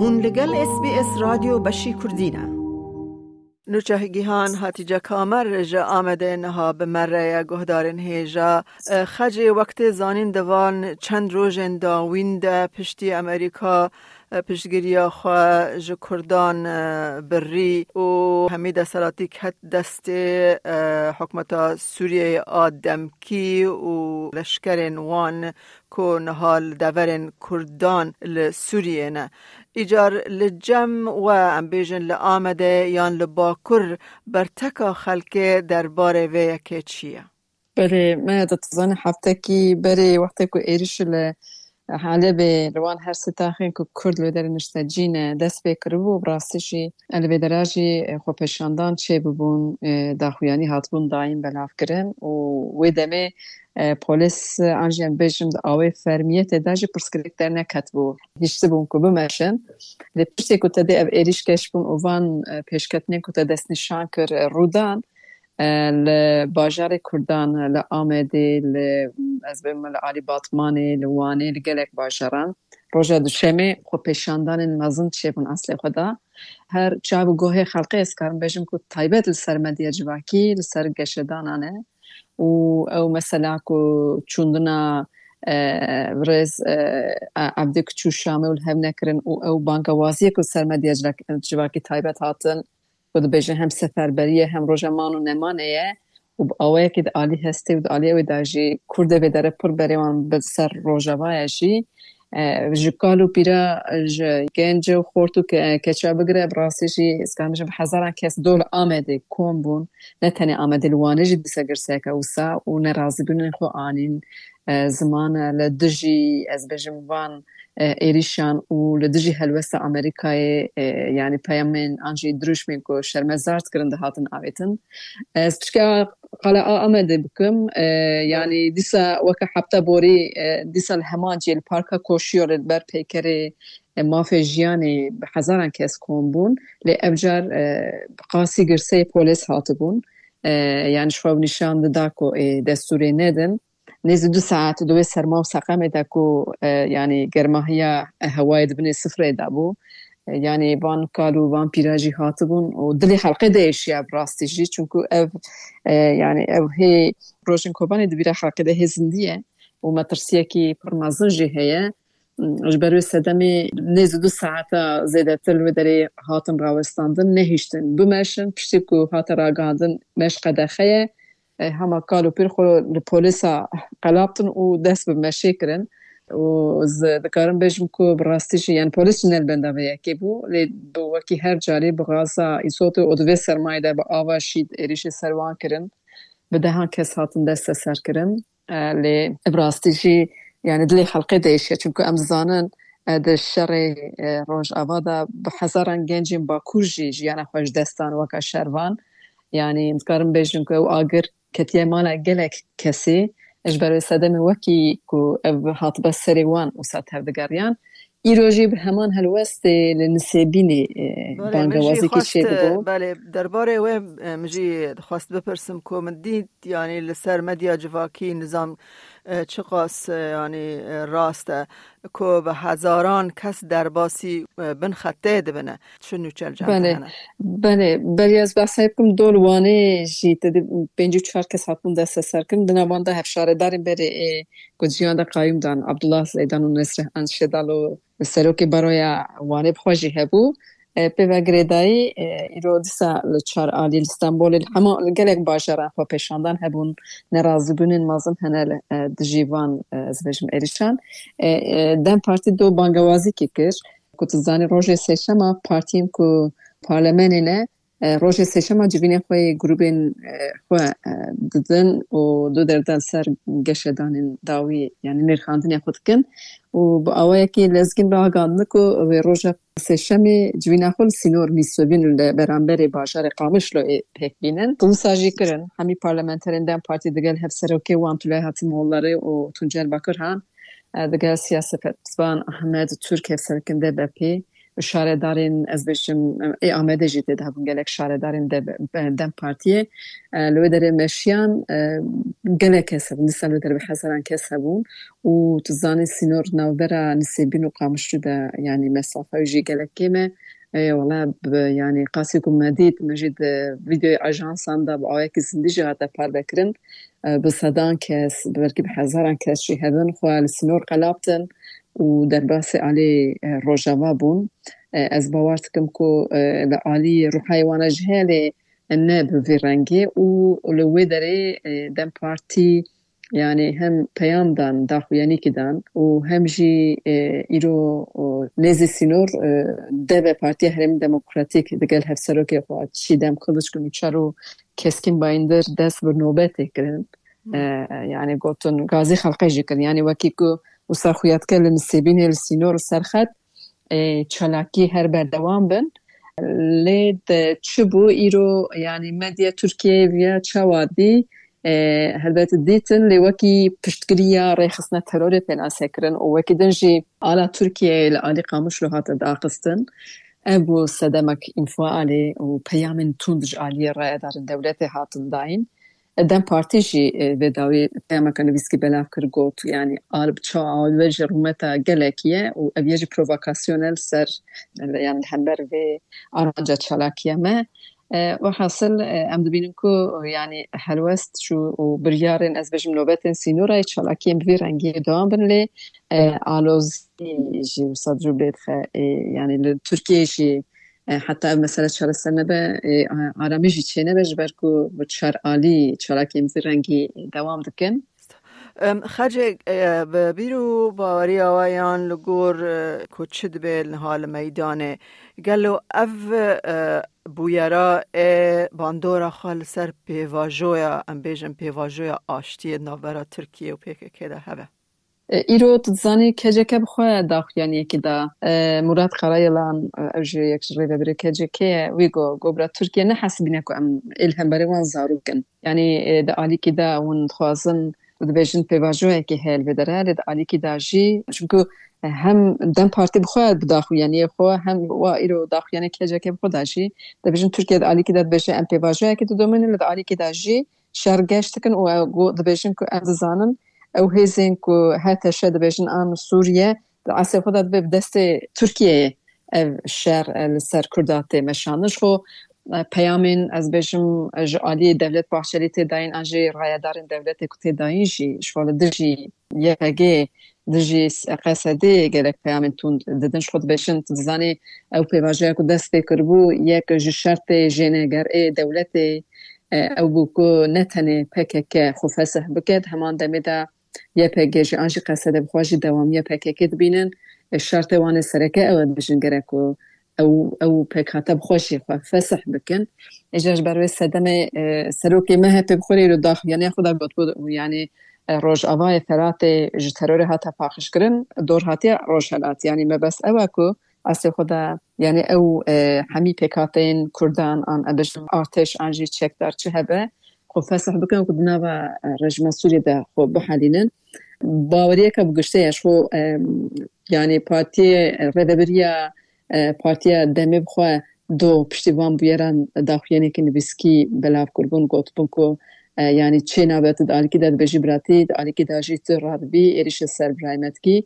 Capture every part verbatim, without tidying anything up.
Hûn li gel S B S Radyo Beşî Kurdî ne. Nûçe Gihan, Hatice Kamer ji Amedê niha bi me re ye, guhdarên hêja. E, Xecê wek tê zanîn di van çend rojên dawîn de piştî Amerîka, e, piştgiriya xwe ji Kurdan, e, birî û hemî desthilatî ket destê, e, hikûmeta Sûriyeyê a demkî û leşkerên wan ku niha li deverên Kurdan li Sûriyê ne. Îcar li cem we, em bêjin li Amedê yan li Bakur, berteka xelkê derbarê vê yekê çi ye? Belê, me dizane heftekî berê wextê ku êrîş li Helebê li wan her sê taxên ku Kurd li wê derê niştecî ne dest pê kiribû, bi rastî jî li vê dera jî xwepêşandan çêbûbûn, daxuyanî hatibûn dayîn belavkirin û wê demê e, polîs, e, an jî em bêjin di awê fermiyetê de jî pirsgirêk derneketibû. Hiştibûn ku bimeşin. Lê piştê ku te dê ev êrîş keş bûn û van, e, pêşketinên ku te destnîşan kir, e, rûdan, e, li bajarê Kurdan, li Amedê, li, ez bêjim li alî Batmanê, li Wanê, li gelek bajaran. Roja Duşemê xwepêşandanên mezin çêbûn eslê xwe de. Her çav û gohê xelkê ez karim bêjim ku taybet li ser medya civakî, li ser geşedanan e. û ew mesela ku çûndina, e, birêz, e, Evdî ku çû Şamê û li hev nekirin û ew bangewaziyê ku ser medya civak-, civakî taybet hatin, ku dibêjin hem seferberî ye hem roja man û nemanê ye û bi awayekî di alî hestê û di alî ew ê de jî Kurdê vê derê pir berê wan bi ser Rojava ye jî, e, ji kal û pîra, ji genc û xort û ke-, keça bigire, bi rastî jî ez karim bêjim bi hezaran kes dol Amedê kom bûn. Ne tenê Amedê, li Wanê jî dîsa girseyeke wisa û nerazîbûnên xwe anîn, e, ziman, e, li dijî, ez bêjim, van, e, êrîşan û li dijî helwesta Amerîkayê, e, yanî peyamên an jî dirûşmên ku şermezar dikirin dihatin avêtin. Ez piçka qala a Amedê bikim, e, yanî dîsa weke hefta borî, e, dîsa li heman cihê li Parka Koşiyolê li ber peykerê, e, mafê jiyanê bi hezaran kes kom bûn, lê ev car, e, bi qasî girseyê polîs hatibûn. E, yanî ji xwe nîşan dida ku ê destûrê nedin. Nêzî du saet di wê serma û seqemê de ku, e, yanî germahiya hewayê di binê sifrê de bû. E, yanî van kal û van pîra jî hatibûn û dilê xelkê diêşiya bi rastî jî. Çunku ev, e, yanî ev hê rojên Kobanê di bîra xelkê de hê zindî ye û metirsiyekî pir mezin jî heye. Ji ber wê sedemê nêzî du saeta zêdetir li wê derê hatin rawestandin, nehiştin bimeşin. Piştî ku hate ragihandin meş qedexe ye, e, hema kal û pîr xwe li polîsa qelabtin û dest bi meşê kirin. Û ez dikarim bêjim ku bi rastî jî, yani polîs jî ne li benda vê yekê bû, lê bi wekî her carî bi gaza îzotê û di vê sermayê de bi ava şîd êrîşê ser wan kirin. Bi dehan kes hatin desteser kirin. E, lê bi rastî jî, yani dilê xelkê diêşe, çunku em dizanin, e, di şerê, e, Rojava de bi hezaran gencên Bakur jî jiyana xwe ji dest dan weke şervan. Yani dikarim bêjim ku ew agir ketiye mala gelek kesî, ji ber wê sedemê wekî ku ev hatibe serê wan wisa tevdigeriyan. Îro jî bi heman helwestê li Nisêbînê, e, Belê, min jî bangewazîkî xwest, çêdibû. Belê, derbarê wê, e, min jî dixwest bipirsim ku min dît, yanî li ser medya civakî nizam, e, çiqas, e, yanî, e, rast e ku bi hezaran kes derbasî, e, bin xetê dibine. Çi nûçe li cem te Belê, hene? Belê, belê ez behsa bikim dol Wanê jî te di pêncî û çar kes hatibûn desteserkirin. Di nav wan de hevşaredarên berê ê ku di ciyan de qayûm dan, Abdullah Zeydan û Nesrîhan Şedal û serokê baroya Wanê bi xwe jî hebû. E, pê ve girêdayî, e, îro dîsa li çar alî li Stenbolê, li hema li gelek bajaran xwepêşandan hebûn, nerazîbûnên mezin hene li, e, dijî van, e, ez bêjim êrîşan. E, e, DEM Partî do bangewazîkê kir. Ku tu zanî rojê sêşema partiyên ku parlemenê ne, e, rojê sêşema civînên xwe yê grûbên, e, xwe, e, didin û du derdan ser geşedanên dawî, yani nirxandinê xwe dikin û bi awayekî lezgîn ragandin ku wê roja sêşemê civîna xwe li sînor Mîsovîn li beramberê bajarê Qamişloyê pêk bînin. Wisa jî kirin, hemî parlamenterên DEM Partî digel hevserokê wan Tülay Hatimoğulları û Tuncer Bakırhan, e, digel siyasetvan Ahmet Türk hevserokên D B P şaredarên, ez bêjim, ê Amedê jî tê de hebûn, gelek şaredarên de, DEM Partiyê. E, li wê derê meşiyan, e, gelek kes hebûn, dîsa li wê derê bi hezaran kes hebûn û tu zanî sînor navbera Nisêbîn û Qamişlû de, yanî mesafe jî gelek kêm e. E, wela bi, yanî qasî ku me dît, me jî di vîdeoyê ajansan de bi awayekî zindî jî hate parvekirin. E, bi sedan kes, belkî bi hezaran kes jî hebin xwe li sînor qelabtin û derbasî alî, e, Rojava bûn. E, ez bawer dikim ku, e, li alî ruhayê wana jî heye, lê ne bi vî rengê û li wê derê, e, DEM Partî, yanî hem peyam dan, daxuyanîkî dan û hem jî, e, îro, o, nêzî sînor, e, DEVE, Partiya Herêmî Demokratîk, digel hevserokê xwe Çîdem Kılıçkılıç û çar û Keskin Bayındır dest bi nobetê kirin. E, yanî gotin, gazî xelqê jî kirin. Yanî wekî ku wisa xuya dike li Nisêbînê li sînor li ser xet, e, çalakî her berdewam bin. Lê de çi bû îro, yanî medya Tirkiyeyê viya çawa dî, e, helbet dîtin, lê wekî piştgiriya rêxistina terorê pênase kirin û wekî din jî ala Tirkiyeyê li alî Qamişlo hate daqistin. Ev bû sedemek înfialê û peyamên tund ji aliyê rayedarên dewletê hatin dayîn. DEM Partî jî, e, vê dawî peyameke nivîskî belav kir, got, yanî, alb çawa, albe ji rûmeta gelekî ye û ev yê jî provokasyon e li ser, yanî, li hember vê aranca çalakiya me. E, welhasil, e, em dibînin ku, yanî, helwest çû û biryarên, ez bêjim, nobetên sînorayê çalakiyên bi vî rengî dewam bin, lê, e, alozî jî wisa cû lê dixe, e, yanî, li Tirkiyeyê jî, e, heta ev mesele çareser nebe, e, aramî jî çênebe, ji ber ku bi çar alî çalakiyên vî rengî dewam dikin. Em, Xecê, e, bi bîr û baweriya we yan li gor, e, ku çi dibe niha li meydanê, gelo ev, e, bûyera ê bandora xwe li ser pêvajoya, em bêjin pêvajoya aştiyê navbera Tirkiye û P K K de hebe? E, îro tu dizanî K C K bi xwe daxuyaniyekî da. E, Murat Karayilan, e, ew jî yek ji rêvebirê K C K ye, wî got, got, bira Tirkiye nehesibîne ku em ê li hemberê wan zarok in. Yanî, e, di alîkî de hûn dixwazin û dibêjin pêvajoyekê heye li vê derê, lê di alîkî de jî, çunku, e, hem DEM Partî bi xwe bi daxuyaniyê xwe, hem wa îro daxuyaniyê K C K bi xwe de jî dibêjin Tirkiye di alîkî de dibêje em pêvajoyekê didomînin, lê di alîkî de jî şer geş dikin û ew got, dibêjin ku em dizanin ew hêzên ku H T Ş dibêjin an Sûriye, di eslê xwe de divê bi destê Tirkiyeyê ev şer, e, li ser Kurda tê meşandin. Ji xwe, e, peyamên, ez bêjim, e, ji aliyê Devlet Bahçelî tê dayîn an jî rayedarên dewletê ku tê dayîn jî ji xwe li dijî Y P G, dijî S-, Q S D gelek peyamên tund didin. Ji xwe dibêjin, tu dizanî ew pêvajoya ku dest pê kiribû, yek ji şertê jênegerê dewletê, e, ew bû ku ne tenê P K K xwe fesih bike, di heman demê de Y P G jî an jî Q S D bi xwe jî dewamiya P K K dibînin. E, şertê wan ê sereke ew e, dibêjin gerek ku ew, ew pêkhate bi xwe jî xwe fesih bikin. Îcar ji ber wê sedemê, e, serokê M H P bi xwe re îro daxuyaniya xwe de gotibû, yanî, e, Rojavayê Feratê ji terorê hate paqijkirin, dor hatiye Rojhelat. Yanî mebest ew e ku eslê xwe de, yanî ew, e, hemî pêkhateyên Kurdan an, em bêjin, artêş an jî çekdar çi hebe, xwe fesih bikin ku di nava, e, rejîma Sûriyê de xwe bihelînin. Baweriyeke bi giştê ye ji xwe, e, yanî partiyê, e, rêvebiriya, e, Partiya Demê bi xwe do piştî van bûyeran daxuyaniyeke nivîskî belav kiribûn, gotibûn ku, e, yanî çê nabe, tu di alîkî de dibêjî biratî, di alîkî de jî tu radibî êrîşê ser birayê me dikî.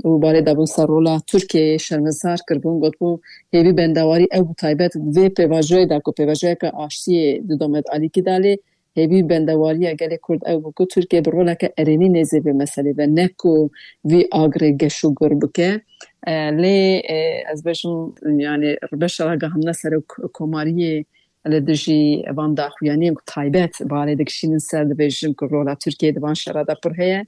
Û balê dabûn ser rola Tirkiyeyê, şermezar kiribûn, gotibû hêvî bendewarî ew bû, taybet vê pêvajoyê de ku pêvajoyeke aştiyê didome di alîkî de, lê hêvî bendewariya gelê Kurd ew bû ku Tirkiye bi roleke erênî nêzê vê meselê ve, ne ku vî agirê geş û gur bike. E, lê, e, ez bêjim, yanî beşa ragihandina serok komariyê li dijî van daxuyaniyên ku taybet balê dikişînin ser, dibêjin ku rola Tirkiyê di van şera de pir heye.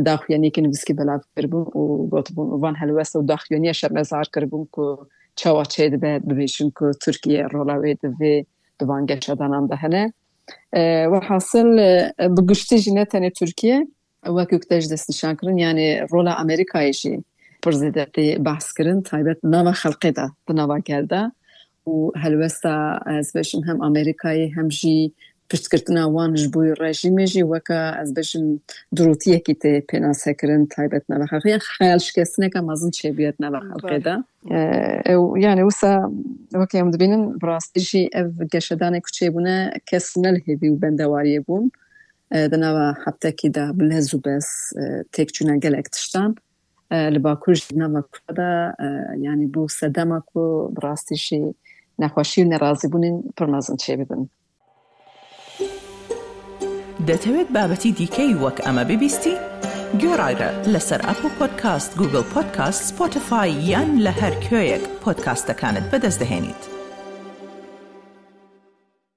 Daxuyaniyeke nivîskî belav kiribûn û gotibûn, û van helwest û daxuyaniya şermezar kiribûn ku çawa çêdibe, dibêjin ku Tirkiye rola wê di vê, di van geşedanan de hene. E, welhasil, e, bi giştî jî ne tenê Tirkiye, wekî ku te jî destnîşan kirin, yanî rola Amerîkayê jî pir zêde tê behs kirin, taybet nava xelkê de, di nava gel de. Û helwesta, ez bêjim, hem Amerîkayê hem jî piştgirtina wan ji bo rejîmê jî weke, ez bêjim, dirûtiyekî tê pênasekirin taybet nava xelkê. Yan xeyalşikestineke mezin çêbûye di nava xelkê de. Ew, yani wisa weke em dibînin, bi rastî jî ev geşedanê ku çêbûne, kes ne li hêvî û bendewariyê bûn. E, di nava heftekî de bi lez û bez, e, têkçûna gelek tiştan. E, li Bakur jî di nava Kurda de, e, yani bû sedema ku bi rastî jî nexweşî û nerazîbûnên pir mezin çêbibin. دەتەوێت بابەتی دیکەی وەک ئەمە ببیستی؟ گوێڕایرە لەسەر ئەپڵ پۆدکاست، گوگڵ پۆدکاست، سپۆتیفای یان لە هەر کوێیەک پۆدکاستەکانت بەدەست دەهێنیت.